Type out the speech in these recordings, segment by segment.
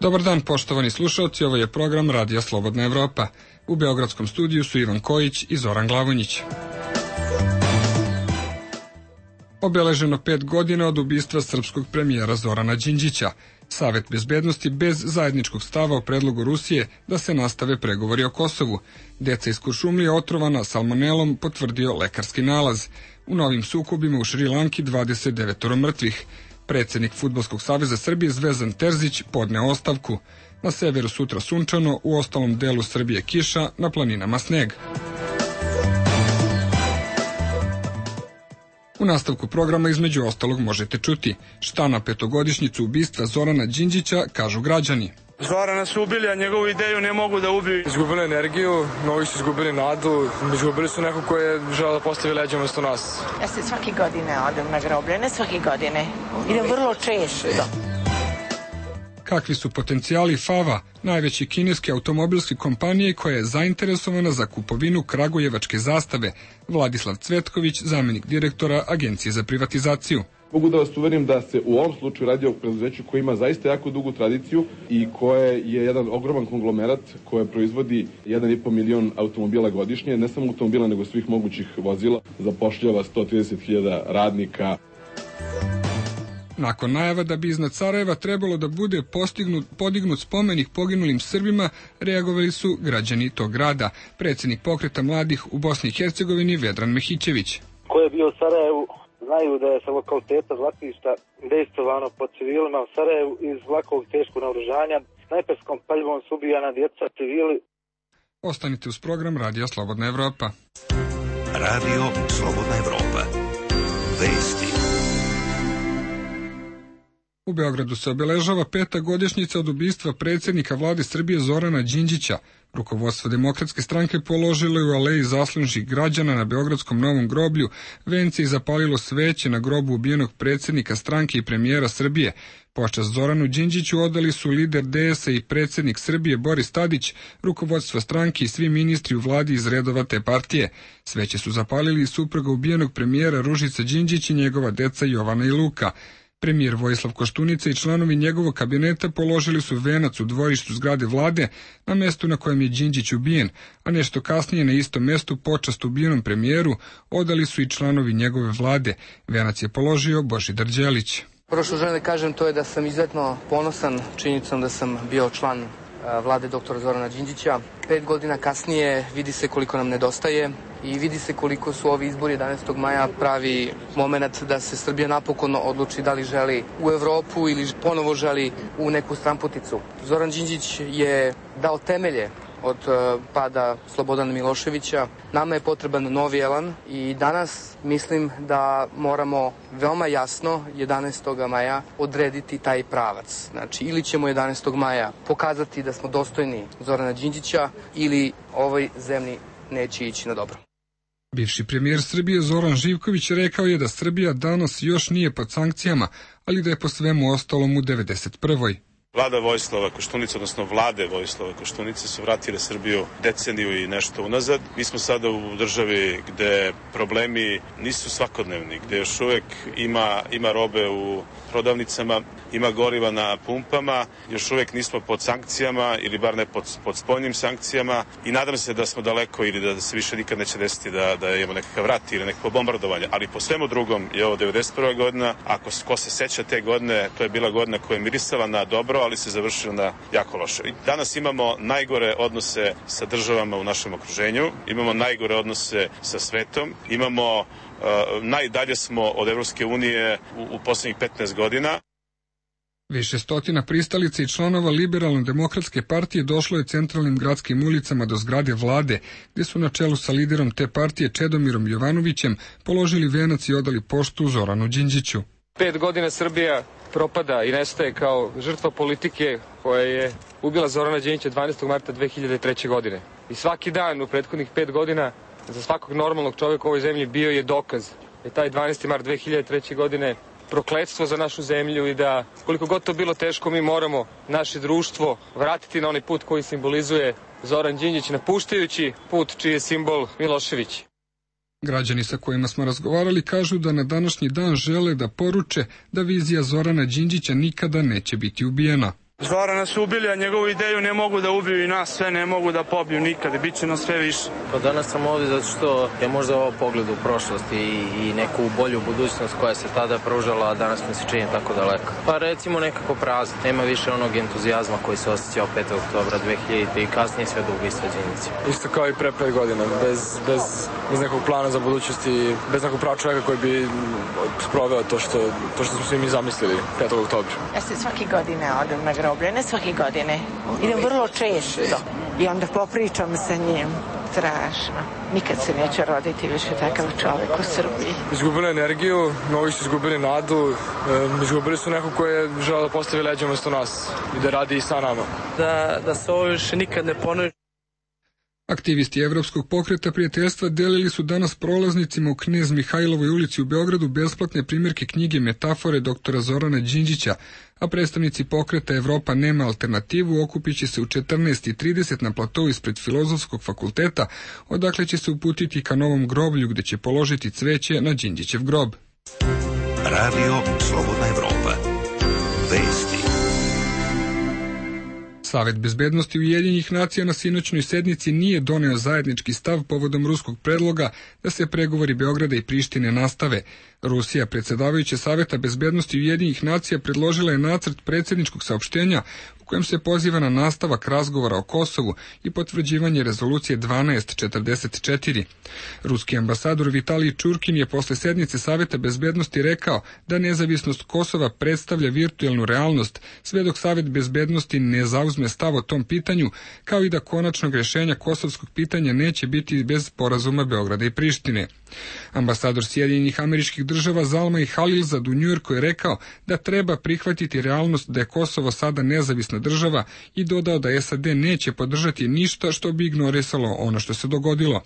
Dobar dan, poštovani slušalci, ovo je program Radija Slobodna Evropa. U beogradskom studiju su Ivan Kojić i Zoran Glavonjić. Obeleženo 5 godina od ubistva srpskog premijera Zorana Đinđića. Savet bezbednosti bez zajedničkog stava o predlogu Rusije da se nastave pregovori o Kosovu. Deca iz Kuršumlije otrovana salmonelom, potvrdio lekarski nalaz. U novim sukobima u Šri Lanki 29 mrtvih. Predsednik Fudbalskog saveza Srbije Zvezdan Terzić podneo ostavku. Na severu sutra sunčano, u ostalom delu Srbije kiša, na planinama sneg. U nastavku programa između ostalog možete čuti šta na petogodišnjicu ubistva Zorana Đinđića kažu građani. Zorana su ubili, a njegovu ideju ne mogu da ubiju. Izgubili energiju, mnogi su izgubili nadu, izgubili su neko ko je želeo da postavi leđa umesto nas. Ja se svake godine odem na groblje, ne svake godine, idem vrlo često. Kakvi su potencijali FAV-a, najveće kineske automobilske kompanije koja je zainteresovana za kupovinu kragujevačke zastave? Vladislav Cvetković, zamenik direktora Agencije za privatizaciju. Mogu da vas uverim da se u ovom slučaju radi o preduzeću koje ima zaista jako dugu tradiciju i koje je jedan ogroman konglomerat koje proizvodi 1,5 milion automobila godišnje, ne samo automobila nego svih mogućih vozila, zapošljava 130.000 radnika. Nakon najava da bi iznad Sarajeva trebalo da bude podignut spomenik poginulim Srbima, reagovali su građani tog grada. Predsednik Pokreta mladih u Bosni i Hercegovini Vedran Mehićević. Ko je bio u Sarajevu, znaju da je sa lokaliteta Zlatišta dejstvovano po civilima u Sarajevu iz lakovog teškog naoružanja. Snajperskom paljbom su ubijana djeca, civili. Ostanite uz program Radija Slobodna Evropa. Radio Slobodna Evropa. Vesti. U Beogradu se obeležava 5. godišnjica od ubistva predsjednika vlade Srbije Zorana Đinđića. Rukovodstvo Demokratske stranke položilo je u aleji zaslužnih građana na Beogradskom Novom groblju vence i zapalilo sveće na grobu ubijenog predsjednika stranke i premijera Srbije. Počast Zoranu Đinđiću odali su lider DS-a i predsjednik Srbije Boris Tadić, rukovodstvo stranke i svi ministri u vladi iz redova te partije. Sveće su zapalili i supruga ubijenog premijera Ružica Đinđić i njegova deca Jovana i Luka. Premijer Vojislav Koštunica i članovi njegovog kabineta položili su venac u dvorištu zgrade vlade na mestu na kojem je Đinđić ubijen, a nešto kasnije na istom mestu počast ubijenom premijeru odali su i članovi njegove vlade. Venac je položio Božidar Đelić. Prvo što želim da kažem to je da sam izuzetno ponosan činjenicom da sam bio član vlade doktora Zorana Đinđića. 5 godina kasnije vidi se koliko nam nedostaje i vidi se koliko su ovi izbori 11. maja pravi moment da se Srbija napokon odluči da li želi u Evropu ili ponovo želi u neku stranputicu. Zoran Đinđić je dao temelje od pada Slobodana Miloševića. Nama je potreban novi elan i danas mislim da moramo veoma jasno 11. maja odrediti taj pravac. Znači, ili ćemo 11. maja pokazati da smo dostojni Zorana Đinđića ili ovoj zemlji neće ići na dobro. Bivši premijer Srbije Zoran Živković rekao je da Srbija danas još nije pod sankcijama, ali da je po svemu ostalom u 91. Vlada Vojislava Koštunice, odnosno vlade Vojislava Koštunice su vratile Srbiju deceniju i nešto unazad. Mi smo sada u državi gde problemi nisu svakodnevni, gde još uvek ima robe u prodavnicama, ima goriva na pumpama, još uvek nismo pod sankcijama ili bar ne pod spoljnim sankcijama i nadam se da smo daleko ili da se više nikad neće desiti da imamo nekakav rat ili nekako bombardovanje, ali po svemu drugom je ovo 91. godina, ko se seća te godine, to je bila godina koja je mirisala na dobro, ali se završila na jako loše. I danas imamo najgore odnose sa državama u našem okruženju, imamo najgore odnose sa svetom, imamo najdalje smo od Evropske unije u poslednjih 15 godina. Više stotina pristalica i članova Liberalno-demokratske partije došlo je centralnim gradskim ulicama do zgrade vlade, gde su na čelu sa liderom te partije Čedomirom Jovanovićem položili venac i odali poštu Zoranu Đinđiću. 5 godina Srbija propada i nestaje kao žrtva politike koja je ubila Zorana Đinđića 12. marta 2003. godine. I svaki dan u prethodnih 5 godina za svakog normalnog čovjeka u ovoj zemlji bio je dokaz da je taj 12. mart 2003. godine prokletstvo za našu zemlju i da koliko god to bilo teško mi moramo naše društvo vratiti na onaj put koji simbolizuje Zoran Đinđić, napuštajući put čiji je simbol Milošević. Građani sa kojima smo razgovarali kažu da na današnji dan žele da poruče da vizija Zorana Đinđića nikada neće biti ubijena. Zorana su ubili, a njegovu ideju ne mogu da ubiju i nas sve ne mogu da pobiju nikada. Biće nas sve više. Pa danas sam ovdje zato što je možda ovo pogled u prošlost i neku bolju budućnost koja se tada pružala, a danas mi se čini tako daleko. Pa recimo nekako prazno. Nema više onog entuzijazma koji se osjećao 5. oktobra 2000. i kasnije sve do ubistva Đinđića. Isto kao i pre 5 godina, bez nekog plana za budućnost i bez nekog pravog čovjeka koji bi sproveo to što smo svi mi zamislili 5. oktobra. Ja se svake godine odem na groblje, ne svake godine. Idem vrlo često i onda popričam sa njim. Strašno. Nikad se neće roditi više takav čovjek u Srbiji. Izgubili energiju, mnogi su izgubili nadu, izgubili su nekog koji je želeo da postavi leđa umesto nas i da radi i sa nama. Da se ovo više nikad ne ponovi. Aktivisti Evropskog pokreta prijateljstva delili su danas prolaznicima u Knez Mihajlovoj ulici u Beogradu besplatne primjerke knjige Metafore doktora Zorana Đinđića, a predstavnici pokreta Evropa nema alternativu okupit će se u 14:30 na platovu ispred Filozofskog fakulteta, odakle će se uputiti ka Novom groblju gde će položiti cveće na Đinđićev grob. Radio Slobodna Evropa. Vesti. Savet bezbednosti Ujedinjenih nacija na sinoćnoj sednici nije doneo zajednički stav povodom ruskog predloga da se pregovori Beograda i Prištine nastave. Rusija, predsjedavajuća Saveta bezbednosti Ujedinjenih nacija, predložila je nacrt predsjedničkog saopštenja u kojem se poziva na nastavak razgovora o Kosovu i potvrđivanje rezolucije 1244. Ruski ambasador Vitalij Čurkin je posle sednice Saveta bezbednosti rekao da nezavisnost Kosova predstavlja virtuelnu realnost sve dok Savet bezbednosti ne zauzme stav o tom pitanju, kao i da konačnog rješenja kosovskog pitanja neće biti bez sporazuma Beograda i Prištine. Ambasador Sjedinjenih Američkih Država Zalmay Khalilzad u Njujorku je rekao da treba prihvatiti realnost da je Kosovo sada nezavisna država i dodao da SAD neće podržati ništa što bi ignorisalo ono što se dogodilo.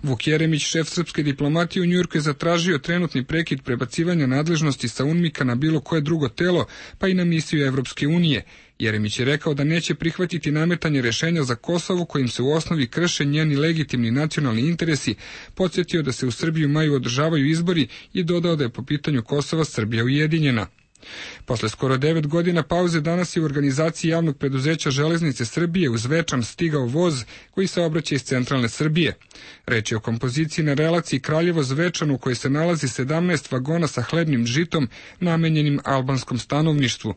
Vuk Jeremić, šef srpske diplomatije u Njujorku, je zatražio trenutni prekid prebacivanja nadležnosti sa UNMIK-a na bilo koje drugo telo, pa i na misiju Evropske unije. Jeremić je rekao da neće prihvatiti nametanje rješenja za Kosovo kojim se u osnovi krše njeni legitimni nacionalni interesi, podsjetio da se u Srbiji u maju održavaju izbori i dodao da je po pitanju Kosova Srbija ujedinjena. Posle skoro 9 godina pauze danas je u organizaciji javnog preduzeća Železnice Srbije u Zvečan stigao voz koji se obraća iz centralne Srbije. Reč je o kompoziciji na relaciji Kraljevo-Zvečan u kojoj se nalazi 17 vagona sa hlebnim žitom namenjenim albanskom stanovništvu.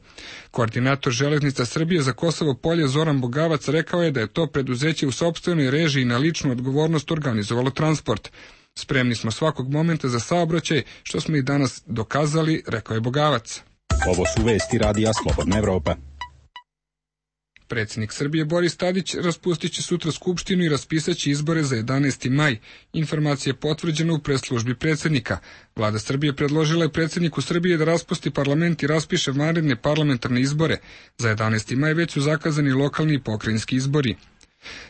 Koordinator Železnica Srbije za Kosovo Polje Zoran Bogavac rekao je da je to preduzeće u sopstvenoj režiji na ličnu odgovornost organizovalo transport. Spremni smo svakog momenta za saobraćaj, što smo i danas dokazali, rekao je Bogavac. Ovo su vesti Radija Slobodna Evropa. Predsjednik Srbije Boris Tadić raspustit će sutra skupštinu i raspisaće izbore za 11. maj. Informacija je potvrđena u press-službi predsjednika. Vlada Srbije predložila je predsjedniku Srbije da raspusti parlament i raspiše vanredne parlamentarne izbore. Za 11. maj već su zakazani lokalni i pokrajinski izbori.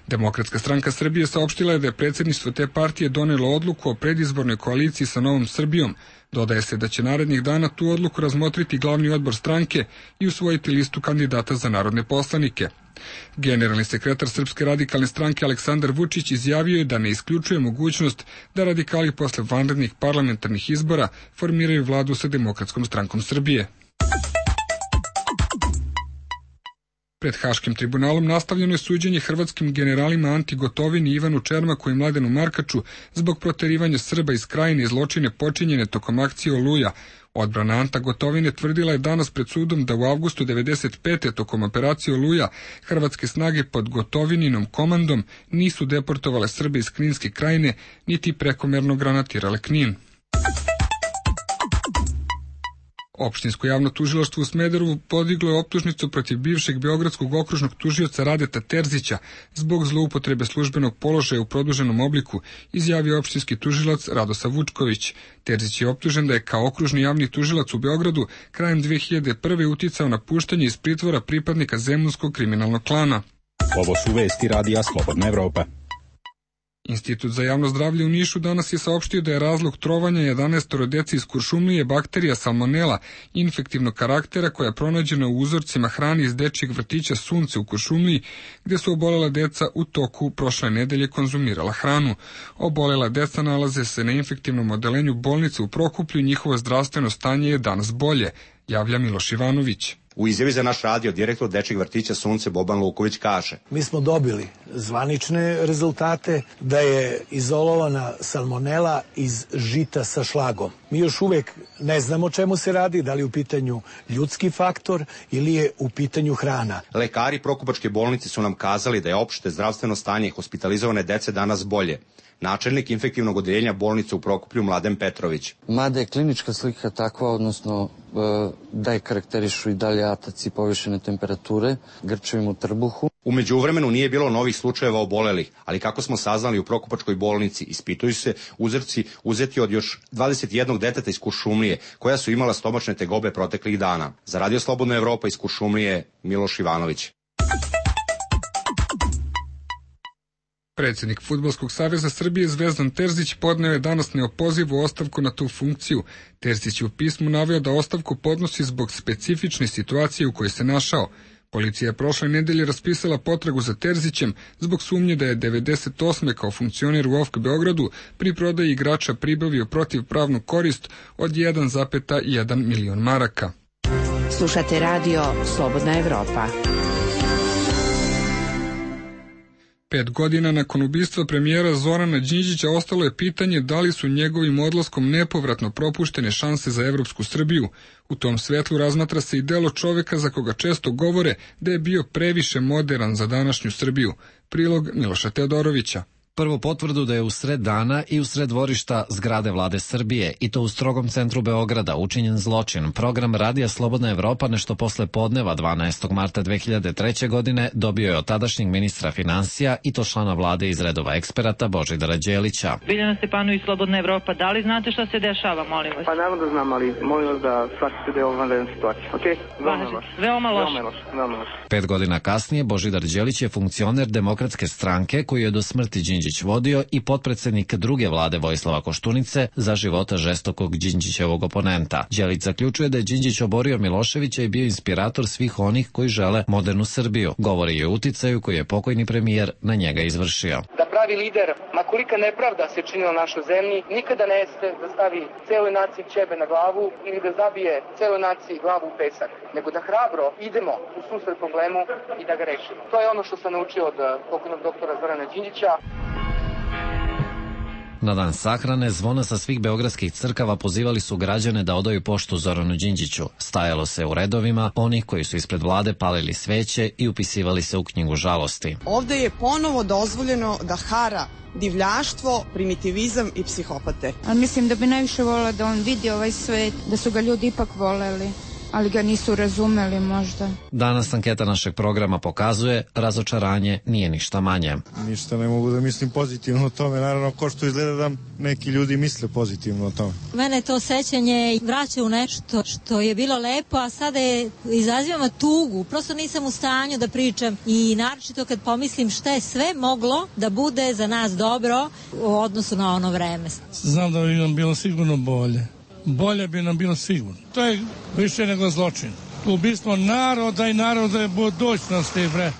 Demokratska stranka Srbije saopštila je da je predsjedništvo te partije donelo odluku o predizbornoj koaliciji sa Novom Srbijom. Dodaje se da će narednih dana tu odluku razmotriti glavni odbor stranke i usvojiti listu kandidata za narodne poslanike. Generalni sekretar Srpske radikalne stranke Aleksandar Vučić izjavio je da ne isključuje mogućnost da radikali posle vanrednih parlamentarnih izbora formiraju vladu sa Demokratskom strankom Srbije. Pred Haškim tribunalom nastavljeno je suđenje hrvatskim generalima Anti Gotovini, Ivanu Čermaku i Mladenu Markaču zbog proterivanja Srba iz Krajine i zločine počinjene tokom akcije Oluja. Odbrana Anta Gotovine tvrdila je danas pred sudom da u avgustu 1995. tokom operacije Oluja hrvatske snage pod Gotovininom komandom nisu deportovale Srbe iz Kninske Krajine niti prekomerno granatirale Knin. Opštinsko javno tužilaštvo u Smederevu podiglo je optužnicu protiv bivšeg beogradskog okružnog tužioca Radeta Terzića zbog zloupotrebe službenog položaja u produženom obliku, izjavio opštinski tužilac Radosav Vučković. Terzić je optužen da je kao okružni javni tužilac u Beogradu krajem 2001. uticao na puštanje iz pritvora pripadnika zemunskog kriminalnog klana. Ovo su vesti Radija Slobodna Evropa. Institut za javno zdravlje u Nišu danas je saopštio da je razlog trovanja 11 dece iz Kuršumlije bakterija salmonela infektivnog karaktera koja je pronađena u uzorcima hrane iz dečjeg vrtića Sunce u Kuršumliji, gde su obolela deca u toku prošle nedelje konzumirala hranu. Obolela deca nalaze se na infektivnom odelenju bolnice u Prokuplju i njihovo zdravstveno stanje je danas bolje, javlja Miloš Ivanović. U izjavi za naš radio direktor dečjeg vrtića Sunce Boban Luković kaže: Mi smo dobili zvanične rezultate da je izolovana salmonela iz žita sa šlagom. Mi još uvek ne znamo o čemu se radi, da li je u pitanju ljudski faktor ili je u pitanju hrana. Lekari Prokupačke bolnice su nam kazali da je opšte zdravstveno stanje hospitalizovane dece danas bolje. Načelnik infektivnog odeljenja bolnice u Prokuplju Mladen Petrović. Mada je klinička slika takva, odnosno da je karakterišu i dalje ataci povišene temperature, grčevim u trbuhu. U međuvremenu nije bilo novih slučajeva obolelih, ali kako smo saznali u Prokupačkoj bolnici, ispituju se uzorci uzeti od još 21 deteta iz Kuršumlije, koja su imala stomačne tegobe proteklih dana. Za Radio Slobodna Evropa iz Kuršumlije, Miloš Ivanović. Predsjednik Fudbalskog saveza Srbije Zvezdan Terzić podneo je danas neopozivu ostavku na tu funkciju. Terzić je u pismu naveo da ostavku podnosi zbog specifične situacije u kojoj se našao. Policija je prošle nedelje raspisala potragu za Terzićem zbog sumnje da je 98. kao funkcioner u OFK Beogradu pri prodaji igrača pribavio protivpravnu korist od 1,1 milion maraka. Slušate radio Slobodna Evropa. 5 godina nakon ubistva premijera Zorana Đinđića ostalo je pitanje da li su njegovim odlaskom nepovratno propuštene šanse za evropsku Srbiju. U tom svetlu razmatra se i delo čoveka za koga često govore da je bio previše moderan za današnju Srbiju. Prilog Miloša Teodorovića. Prvu potvrdu da je u sred dana i u sred dvorišta zgrade vlade Srbije, i to u strogom centru Beograda, učinjen zločin. Program Radija Slobodna Evropa nešto posle podneva 12. marta 2003. godine dobio je od tadašnjeg ministra finansija i to člana vlade iz redova eksperata Božidara Đelića. Biljana Stepanović, Slobodna Evropa, da li znate šta se dešava, molim vas? Pa naravno da znam, ali molim vas da shvatite da je ovo vanredna situacija. Okay? Veoma loš. 5 godina kasnije Božidar Đelić je funkcioner Demokratske stranke koju je do smrti Đinđić vodio i potpredsednik druge vlade Vojislava Koštunice za života žestokog Đinđićevog oponenta. Đelić zaključuje da je Đinđić oborio Miloševića i bio inspirator svih onih koji žele modernu Srbiju. Govori i o uticaju koji je pokojni premijer na njega izvršio. Da pravi lider, ma kolika nepravda se činila našoj zemlji, nikada ne jeste da stavi celoj naciji ćebe na glavu ili da zabije celoj naciji glavu u pesak, nego da hrabro idemo u susret problemu i da ga rešimo. To je ono što sam naučio od pokojnog doktora Zorana Đinđića. Na dan sahrane zvona sa svih beogradskih crkava pozivali su građane da odaju poštu Zoranu Đinđiću. Stajalo se u redovima onih koji su ispred vlade palili sveće i upisivali se u knjigu žalosti. Ovde je ponovo dozvoljeno da hara divljaštvo, primitivizam i psihopate. Ali mislim da bi najviše volila da on vidi ovaj svet, da su ga ljudi ipak voleli, ali ga nisu razumeli možda. Danas anketa našeg programa pokazuje razočaranje nije ništa manje. Ništa ne mogu da mislim pozitivno o tome, naravno ko što izgleda da neki ljudi misle pozitivno o tome. Mene to sećanje vraća u nešto što je bilo lepo, a sada je izaziva tugu. Prosto nisam u stanju da pričam i naročito kad pomislim šta je sve moglo da bude za nas dobro u odnosu na ono vreme. Znam da bi nam bilo sigurno bolje. Bolje bi nam bilo sigurno. To je više nego zločin. Ubistvo naroda i naroda je budućnost.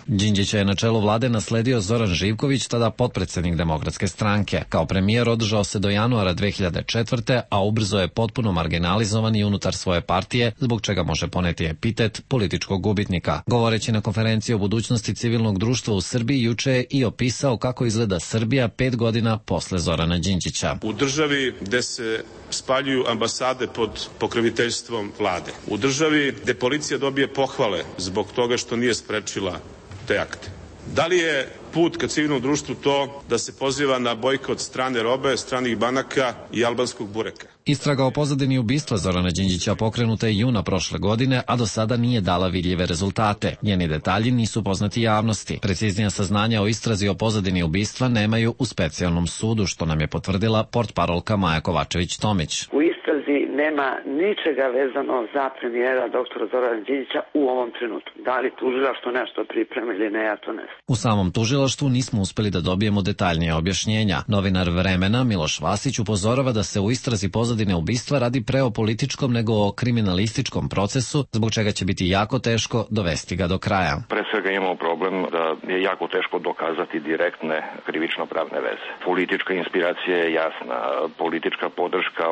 Đinđića je na čelu vlade nasledio Zoran Živković, tada potpredsednik Demokratske stranke. Kao premijer održao se do januara 2004. a ubrzo je potpuno marginalizovan i unutar svoje partije, zbog čega može poneti epitet političkog gubitnika. Govoreći na konferenciji o budućnosti civilnog društva u Srbiji, juče je i opisao kako izgleda Srbija 5 godina posle Zorana Đinđića. U državi gde se spaljuju ambasade pod pokroviteljstvom vlade. U državi gde policija dobije pohvale zbog toga što nije sprečila te akte. Da li je put ka civilnom društvu to da se poziva na bojkot strane robe, stranih banaka i albanskog bureka? Istraga o pozadini ubistva Zorana Đinđića pokrenuta je juna prošle godine, a do sada nije dala vidljive rezultate. Njeni detalji nisu poznati javnosti. Preciznija saznanja o istrazi o pozadini ubistva nemaju u specijalnom sudu, što nam je potvrdila portparolka Maja Kovačević-Tomić. U istrazi nema ničega vezano za premijera doktora Zorana Đinđića u ovom trenutku. Da li tužilaštvo nešto priprema ili ne, ja to ne znam. U samom tužilaštvu nismo uspeli da dobijemo detaljnije objašnjenja. Novinar Vremena Miloš Vasić upozorava da se u istrazi pozadine ubistva radi pre o političkom nego o kriminalističkom procesu, zbog čega će biti jako teško dovesti ga do kraja. Pre svega imamo problem da je jako teško dokazati direktne krivično-pravne veze. Politička inspiracija je jasna, politička podrška,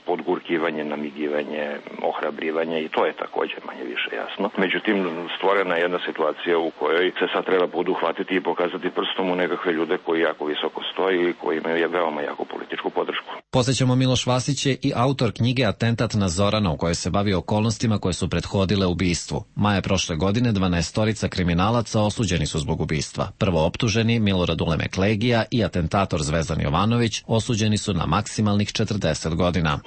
podgurkivanje namigivanje, ohrabrivanje i to je također manje više jasno. Međutim, stvorena je jedna situacija u kojoj se sad treba poduhvatiti i pokazati prstom u nekakve ljude koji jako visoko stoji i koji imaju veoma jaku političku podršku. Podsjećamo, Miloš Vasić je i autor knjige Atentat na Zorana, u kojoj se bavi okolnostima koje su prethodile ubistvu. Maja prošle godine 12 kriminalaca osuđeni su zbog ubistva. Prvo optuženi Milorad Ulemek Legija i atentator Zvezdan Jovanović osuđeni su na maksimalnih 40 godina.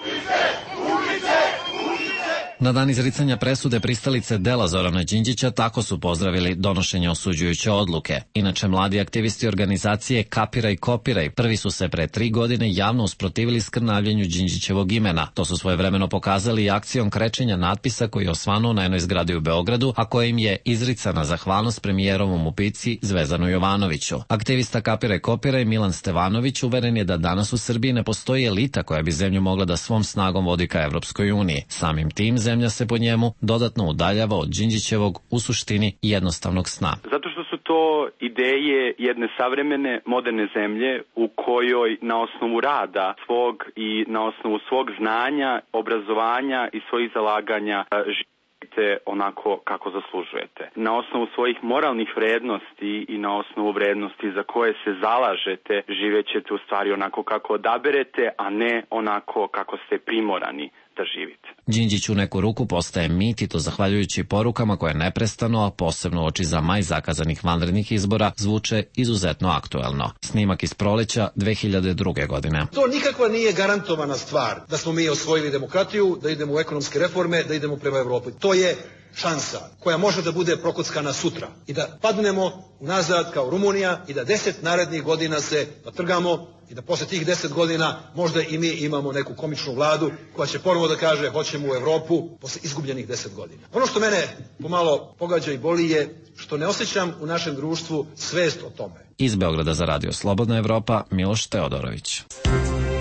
Na dan izricanja presude pristalice dela Zorana Đinđića tako su pozdravili donošenje osuđujuće odluke. Inače, mladi aktivisti organizacije Kapiraj Kopiraj prvi su se pre 3 godine javno usprotivili skrnavljenju Đinđićevog imena. To su svojevremeno pokazali i akcijom krečenja natpisa koji je osvanuo na jednoj zgradi u Beogradu, a kojim je izricana zahvalnost premijerovom ubici Zvezdanu Jovanoviću. Aktivista Kapiraj Kopiraj Milan Stevanović uveren je da danas u Srbiji ne postoji elita koja bi zemlju mogla da svom snagom vodi ka Evropskoj uniji. Samim tim zemlja se po njemu dodatno udaljava od Đinđićevog u suštini jednostavnog sna. Zato što su to ideje jedne savremene, moderne zemlje u kojoj na osnovu rada svog i na osnovu svog znanja, obrazovanja i svojih zalaganja živite onako kako zaslužujete. Na osnovu svojih moralnih vrednosti i na osnovu vrednosti za koje se zalažete živećete u stvari onako kako odaberete, a ne onako kako ste primorani da živite. Đinđić u neku ruku postaje mit i to zahvaljujući porukama koje neprestano, a posebno uoči za maj zakazanih vanrednih izbora, zvuče izuzetno aktuelno. Snimak iz proleća 2002. godine. To nikakva nije garantovana stvar da smo mi osvojili demokratiju, da idemo u ekonomske reforme, da idemo prema Evropi. To je šansa koja može da bude prokockana sutra i da padnemo nazad kao Rumunija i da 10 narednih godina se natrgamo i da posle tih 10 godina možda i mi imamo neku komičnu vladu koja će ponovo da kaže hoćemo u Evropu posle izgubljenih 10 godina. Ono što mene pomalo pogađa i boli je što ne osjećam u našem društvu svest o tome. Iz Beograda za Radio Slobodna Evropa, Miloš Teodorović.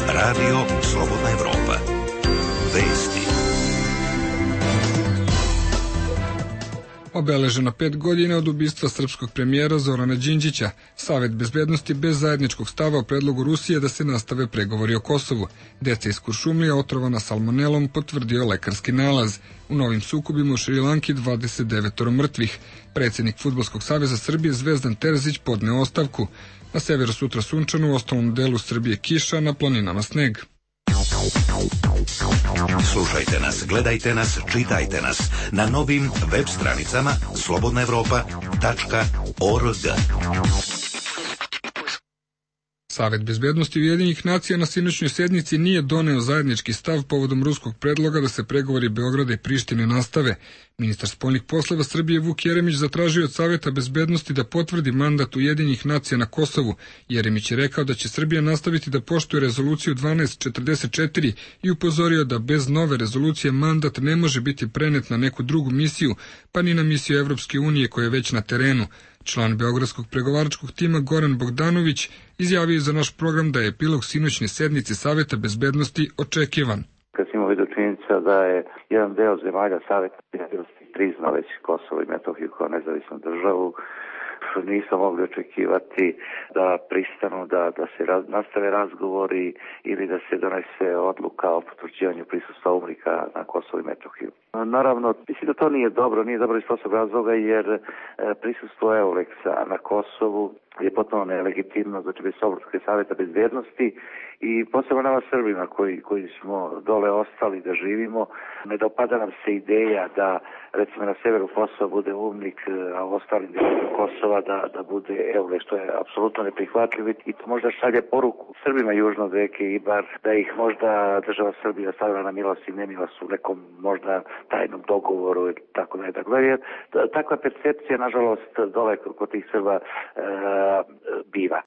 Radio Slobodna Evropa. Vesti. Obeleženo 5 godina od ubistva srpskog premijera Zorana Đinđića. Savet bezbednosti bez zajedničkog stava o predlogu Rusije da se nastave pregovori o Kosovu. Deca iz Kuršumlija otrovana salmonelom potvrdio lekarski nalaz. U novim sukobima u Šrilanki 29 mrtvih. Predsjednik Fudbalskog saveza Srbije Zvezdan Terzić podneo ostavku. Na severu sutra sunčano, u ostalom delu Srbije kiša, na planinama sneg. Slušajte nas, gledajte nas, čitajte nas na novim web stranicama slobodnaevropa.org. Savet bezbednosti Ujedinjenih nacija na sinoćnjoj sednici nije doneo zajednički stav povodom ruskog predloga da se pregovori Beograda i Prištine nastave. Ministar spoljnih poslova Srbije Vuk Jeremić zatražio od Saveta bezbednosti da potvrdi mandat Ujedinjenih nacija na Kosovu. Jeremić je rekao da će Srbija nastaviti da poštuje rezoluciju 1244 i upozorio da bez nove rezolucije mandat ne može biti prenet na neku drugu misiju, pa ni na misiju Evropske unije koja je već na terenu. Član beogradskog pregovaračkog tima Goran Bogdanović izjavio za naš program da je epilog sinoćne sednice Saveta bezbednosti očekivan. Kad smo vidio činjenica da je jedan deo zemalja Saveta bezbednosti priznao već Kosovo i Metohiju kao nezavisnu državu, nismo mogli očekivati da pristanu da se nastave razgovori ili da se donese odluka o potvrđivanju prisustva UNMIK-a na Kosovo i Metohiju. Naravno, mislim da to nije dobro iz prostog razloga jer prisustvo EULEX-a na Kosovu je potpuno nelegitimno, znači bez Saveta bezbednosti i posebno nama Srbima koji smo dole ostali da živimo, ne dopada nam se ideja da recimo na severu Kosova bude UNMIK, a u ostalim dijelovima Kosova da bude EULEX, što je apsolutno neprihvatljivo i to možda šalje poruku Srbima južno od reke Ibar da ih možda država Srbija stavila na milost i nemilost u nekom možda tajnom dogovoru i tako dalje. Takva percepcija, nažalost, dole kod tih Srba biva.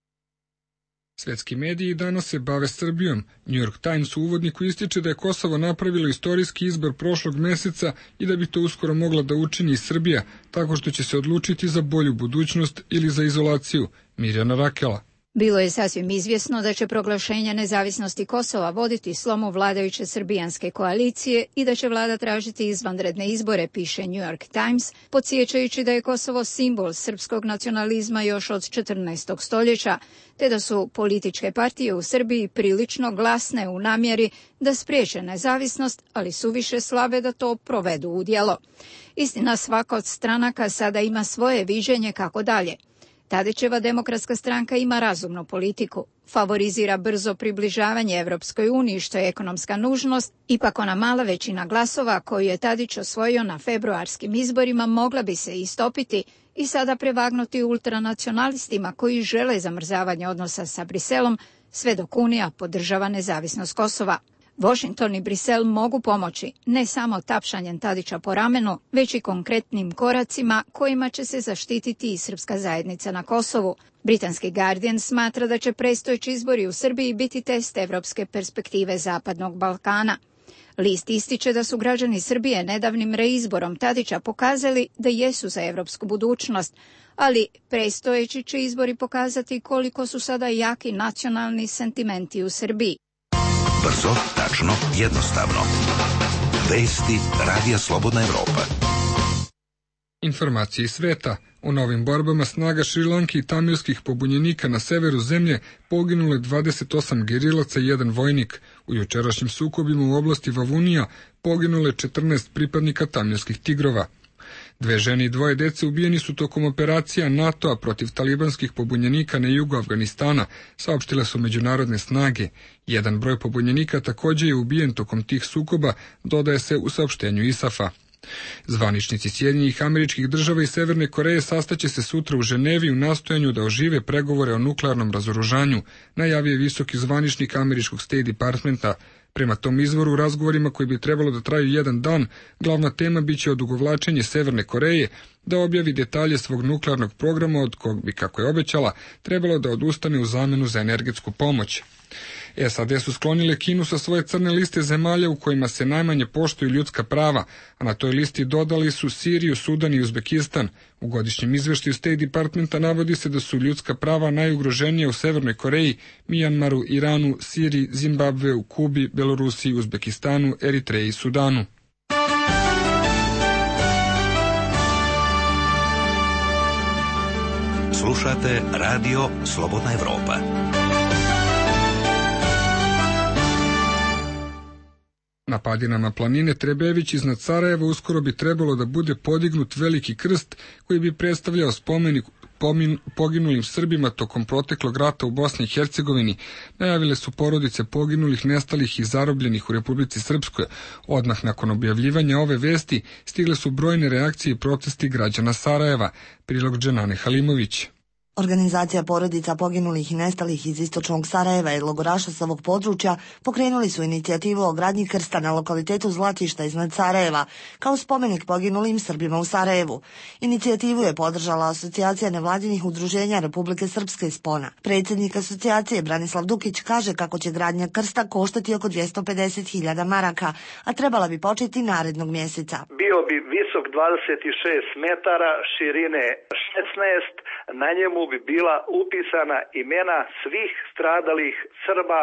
Svetski mediji danas se bave Srbijom. New York Times u uvodniku ističe da je Kosovo napravilo istorijski izbor prošlog meseca i da bi to uskoro mogla da učini i Srbija, tako što će se odlučiti za bolju budućnost ili za izolaciju. Mirjana Rakela. Bilo je sasvim izvjesno da će proglašenje nezavisnosti Kosova voditi slomu vladajuće srbijanske koalicije i da će vlada tražiti izvanredne izbore, piše New York Times, podsjećajući da je Kosovo simbol srpskog nacionalizma još od 14. stoljeća, te da su političke partije u Srbiji prilično glasne u namjeri da spriječe nezavisnost, ali suviše slabe da to provedu u djelo. Istina, svaka od stranaka sada ima svoje viđenje kako dalje. Tadićeva demokratska stranka ima razumnu politiku, favorizira brzo približavanje Evropskoj uniji, što je ekonomska nužnost, ipak ona mala većina glasova koju je Tadić osvojio na februarskim izborima mogla bi se istopiti i sada prevagnuti ultranacionalistima koji žele zamrzavanje odnosa sa Briselom, sve dok Unija podržava nezavisnost Kosova. Washington i Brisel mogu pomoći ne samo tapšanjem Tadića po ramenu, već i konkretnim koracima kojima će se zaštititi i srpska zajednica na Kosovu. Britanski Guardian smatra da će predstojeći izbori u Srbiji biti test evropske perspektive Zapadnog Balkana. List ističe da su građani Srbije nedavnim reizborom Tadića pokazali da jesu za evropsku budućnost, ali predstojeći će izbori pokazati koliko su sada jaki nacionalni sentimenti u Srbiji. Brzo, tačno, jednostavno. Vesti Radija Slobodna Evropa. Informacije iz sveta. U novim borbama snaga Šrilanke i tamilskih pobunjenika na severu zemlje poginule 28 gerilaca i 1 vojnik. U jučerašnjim sukobima u oblasti Vavunija poginule 14 pripadnika tamilskih tigrova. 2 žene i 2 dece ubijeni su tokom operacija NATO-a protiv talibanskih pobunjenika na jugu Afganistana, saopštile su međunarodne snage. 1 broj pobunjenika također je ubijen tokom tih sukoba, dodaje se u saopštenju ISAF-a. Zvaničnici Sjedinjenih Američkih Država i Severne Koreje sastaće se sutra u Ženevi u nastojanju da ožive pregovore o nuklearnom razoružanju, najavio je visoki zvaničnik američkog State Departmenta. Prema tom izvoru, u razgovorima koji bi trebalo da traju 1 dan, glavna tema biće odugovlačenje Severne Koreje da objavi detalje svog nuklearnog programa od kog bi, kako je obećala, trebalo da odustane u zamenu za energetsku pomoć. SAD su sklonile Kinu sa svoje crne liste zemalja u kojima se najmanje poštuju ljudska prava, a na toj listi dodali su Siriju, Sudan i Uzbekistan. U godišnjem izveštaju State Departmenta navodi se da su ljudska prava najugroženija u Severnoj Koreji, Mijanmaru, Iranu, Siriji, Zimbabveu, Kubi, Belorusiji, Uzbekistanu, Eritreji i Sudanu. Slušate Radio Slobodna Evropa. Na padinama planine Trebević iznad Sarajeva uskoro bi trebalo da bude podignut veliki krst koji bi predstavljao spomenik poginulim Srbima tokom proteklog rata u Bosni i Hercegovini, najavile su porodice poginulih, nestalih i zarobljenih u Republici Srpskoj. Odmah nakon objavljivanja ove vesti stigle su brojne reakcije i protesti građana Sarajeva. Prilog Dženane Halimović. Organizacija porodica poginulih i nestalih iz istočnog Sarajeva i logoraša s ovog područja pokrenuli su inicijativu o gradnji krsta na lokalitetu Zlatišta iznad Sarajeva, kao spomenik poginulim Srbima u Sarajevu. Inicijativu je podržala Asocijacija nevladinih udruženja Republike Srpske iz Spona. Predsjednik asocijacije Branislav Dukić kaže kako će gradnja krsta koštati oko 250.000 maraka, a trebala bi početi narednog mjeseca. Bio bi visok 26 metara, širine 16, na njemu bi bila upisana imena svih stradalih Srba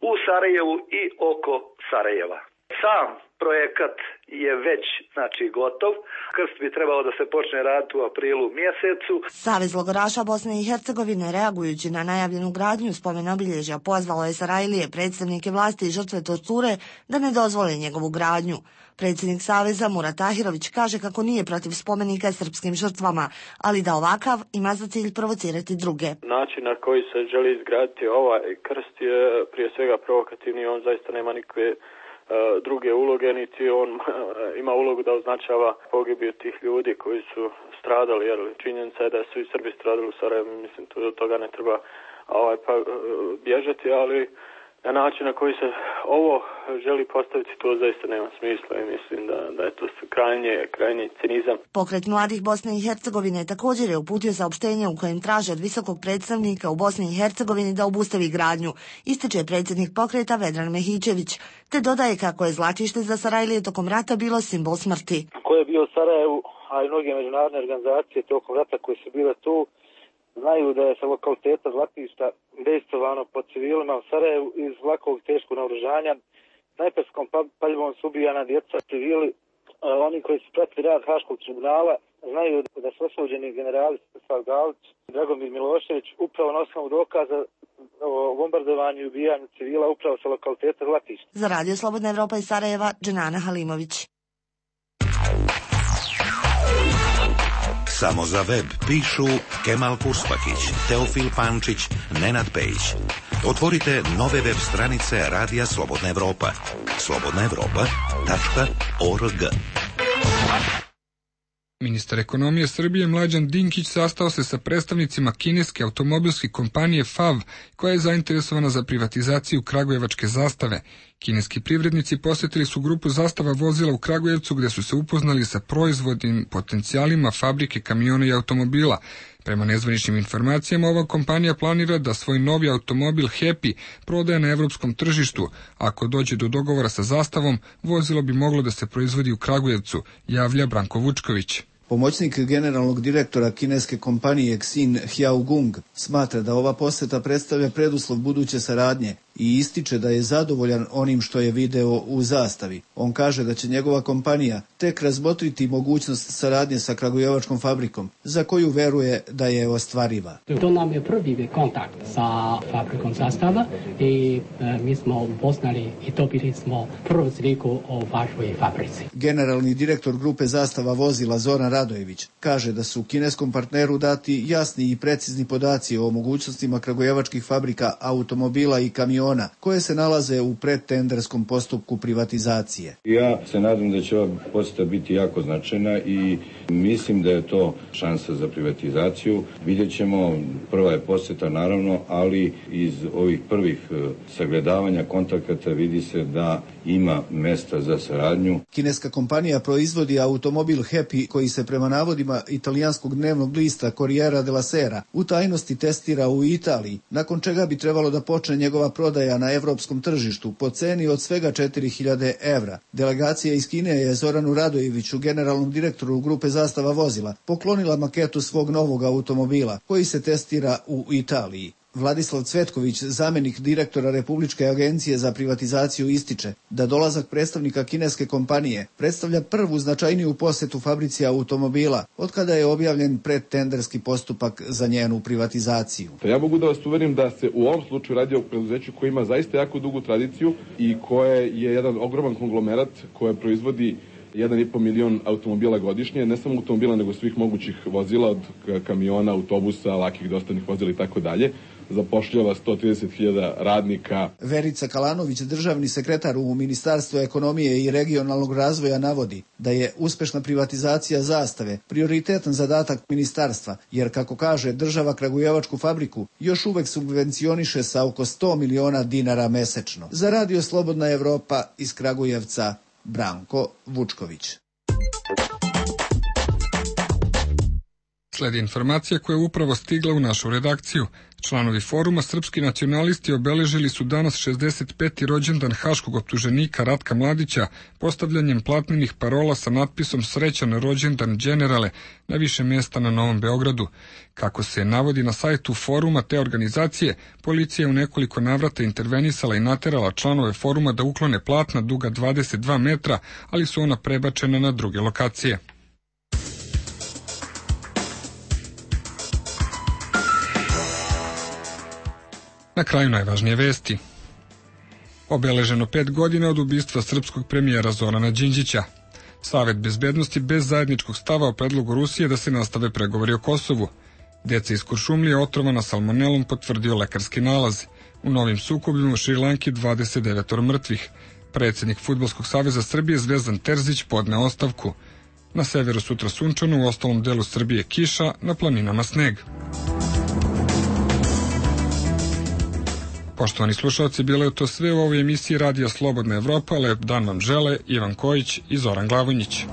u Sarajevu i oko Sarajeva. Sam projekat je već gotov. Krst bi trebao da se počne raditi u aprilu mjesecu. Savez logoraša Bosne i Hercegovine, reagujući na najavljenu gradnju spomen obilježja, pozvalo je Sarajlije, predstavnike vlasti i žrtve torture da ne dozvole njegovu gradnju. Predsjednik Saveza Murat Tahirović kaže kako nije protiv spomenika srpskim žrtvama, ali da ovakav ima za cilj provocirati druge. Način na koji se želi izgraditi ovaj krst je prije svega provokativni, on zaista nema nikakve druge uloge, niti on ima ulogu da označava pogibiju tih ljudi koji su stradali, jer činjenica je da su i Srbi stradali u Sarajevu, mislim, do toga ne treba bježati, ali na način na koji se ovo želi postaviti, to zaista nema smisla i mislim da je to krajnji cinizam. Pokret mladih Bosne i Hercegovine također je uputio saopštenje u kojem traže od visokog predstavnika u Bosni i Hercegovini da obustavi gradnju, ističe predsjednik pokreta Vedran Mehićević, te dodaje kako je Zlatište za Sarajlije tokom rata bilo simbol smrti. Ko je bio u Sarajevu, a i mnoge međunarodne organizacije tokom rata koje su bile tu, Znaju da je sa lokaliteta Zlatišta dejstvovano po civilima u Sarajevu iz lakog teškog naoružanja. Snajperskom paljbom su ubijana djeca, civili. Oni koji su pratili rad Haškog tribunala znaju da su osuđeni generali Stefan Galić i Dragomir Milošević upravo na osnovu dokaza o bombardovanju i ubijanju civila upravo sa lokaliteta Zlatišta. Za Radio Slobodna Evropa iz Sarajeva, Dženana Halimović. Samo za web pišu Kemal Kurspakić, Teofil Pančić, Nenad Pejić. Otvorite nove web stranice Radija Slobodna Evropa. slobodnaevropa.org. Ministar ekonomije Srbije Mlađan Dinkić sastao se sa predstavnicima kineske automobilske kompanije FAV, koja je zainteresovana za privatizaciju kragujevačke Zastave. Kineski privrednici posjetili su grupu Zastava vozila u Kragujevcu, gde su se upoznali sa proizvodnim potencijalima fabrike kamiona i automobila. Prema nezvaničnim informacijama, ova kompanija planira da svoj novi automobil Happy prodaje na evropskom tržištu. Ako dođe do dogovora sa Zastavom, vozilo bi moglo da se proizvodi u Kragujevcu, javlja Branko Vučković. Pomoćnik generalnog direktora kineske kompanije Xin Hiaogung smatra da ova poseta predstavlja preduslov buduće saradnje i ističe da je zadovoljan onim što je video u Zastavi. On kaže da će njegova kompanija tek razmotriti mogućnost saradnje sa kragujevačkom fabrikom, za koju veruje da je ostvariva. To nam je prvi kontakt sa fabrikom Zastava i mi smo upoznali i dobili smo prvu sliku o vašoj fabrici. Generalni direktor grupe Zastava vozila Zoran Radojević kaže da su kineskom partneru dati jasni i precizni podaci o mogućnostima kragujevačkih fabrika automobila i kamiona koje se nalaze u predtenderskom postupku privatizacije. Ja se nadam da će ova poseta biti jako značajna i mislim da je to šansa za privatizaciju. Vidjet ćemo, prva je poseta naravno, ali iz ovih prvih sagledavanja kontakata vidi se da ima mesta za saradnju. Kineska kompanija proizvodi automobil Happy koji se prema navodima italijanskog dnevnog lista Corriere della Sera u tajnosti testira u Italiji, nakon čega bi trebalo da počne njegova prodaja na evropskom tržištu po ceni od svega 4.000 evra. Delegacija iz Kine je Zoranu Radojeviću, generalnom direktoru grupe Zastava vozila, poklonila maketu svog novog automobila koji se testira u Italiji. Vladislav Cvetković, zamenik direktora Republičke agencije za privatizaciju, ističe da dolazak predstavnika kineske kompanije predstavlja prvu značajniju posetu fabrici automobila od kada je objavljen predtenderski postupak za njenu privatizaciju. Ja mogu da vas uverim da se u ovom slučaju radi o preduzeću koje ima zaista jako dugu tradiciju i koje je jedan ogroman konglomerat koje proizvodi 1,5 milion automobila godišnje, ne samo automobila nego svih mogućih vozila, od kamiona, autobusa, lakih dostavnih vozila i tako dalje. Zapošljava 130.000 radnika. Verica Kalanović, državni sekretar u Ministarstvu ekonomije i regionalnog razvoja, navodi da je uspešna privatizacija Zastave prioritetan zadatak ministarstva, jer, kako kaže, država kragujevačku fabriku još uvek subvencioniše sa oko 100 miliona dinara mesečno. Za Radio Slobodna Evropa iz Kragujevca, Branko Vučković. Sledi informacija koja je upravo stigla u našu redakciju. Članovi foruma Srpski nacionalisti obeležili su danas 65. rođendan haškog optuženika Ratka Mladića postavljanjem platnenih parola sa natpisom "Srećan rođendan generale" na više mjesta na Novom Beogradu. Kako se navodi na sajtu foruma te organizacije, policija je u nekoliko navrata intervenisala i naterala članove foruma da uklone platna duga 22 metra, ali su ona prebačena na druge lokacije. Na kraju najvažnije vesti. Obeleženo 5 godina od ubistva srpskog premijera Zorana Đinđića. Savet bezbednosti bez zajedničkog stava o predlogu Rusije da se nastave pregovori o Kosovu. Deca iz Kuršumlije otrovana salmonelom, potvrdio lekarski nalaz. U novim sukobima u Šrilanki 29 mrtvih. Predsjednik Fudbalskog saveza Srbije Zvezdan Terzić podneo ostavku. Na severu sutra sunčano, u ostalom delu Srbije kiša, na planinama sneg. Poštovani slušalci, bilo je to sve u ovoj emisiji Radija Slobodna Evropa. Lep dan vam žele Ivan Kojić i Zoran Glavonjić.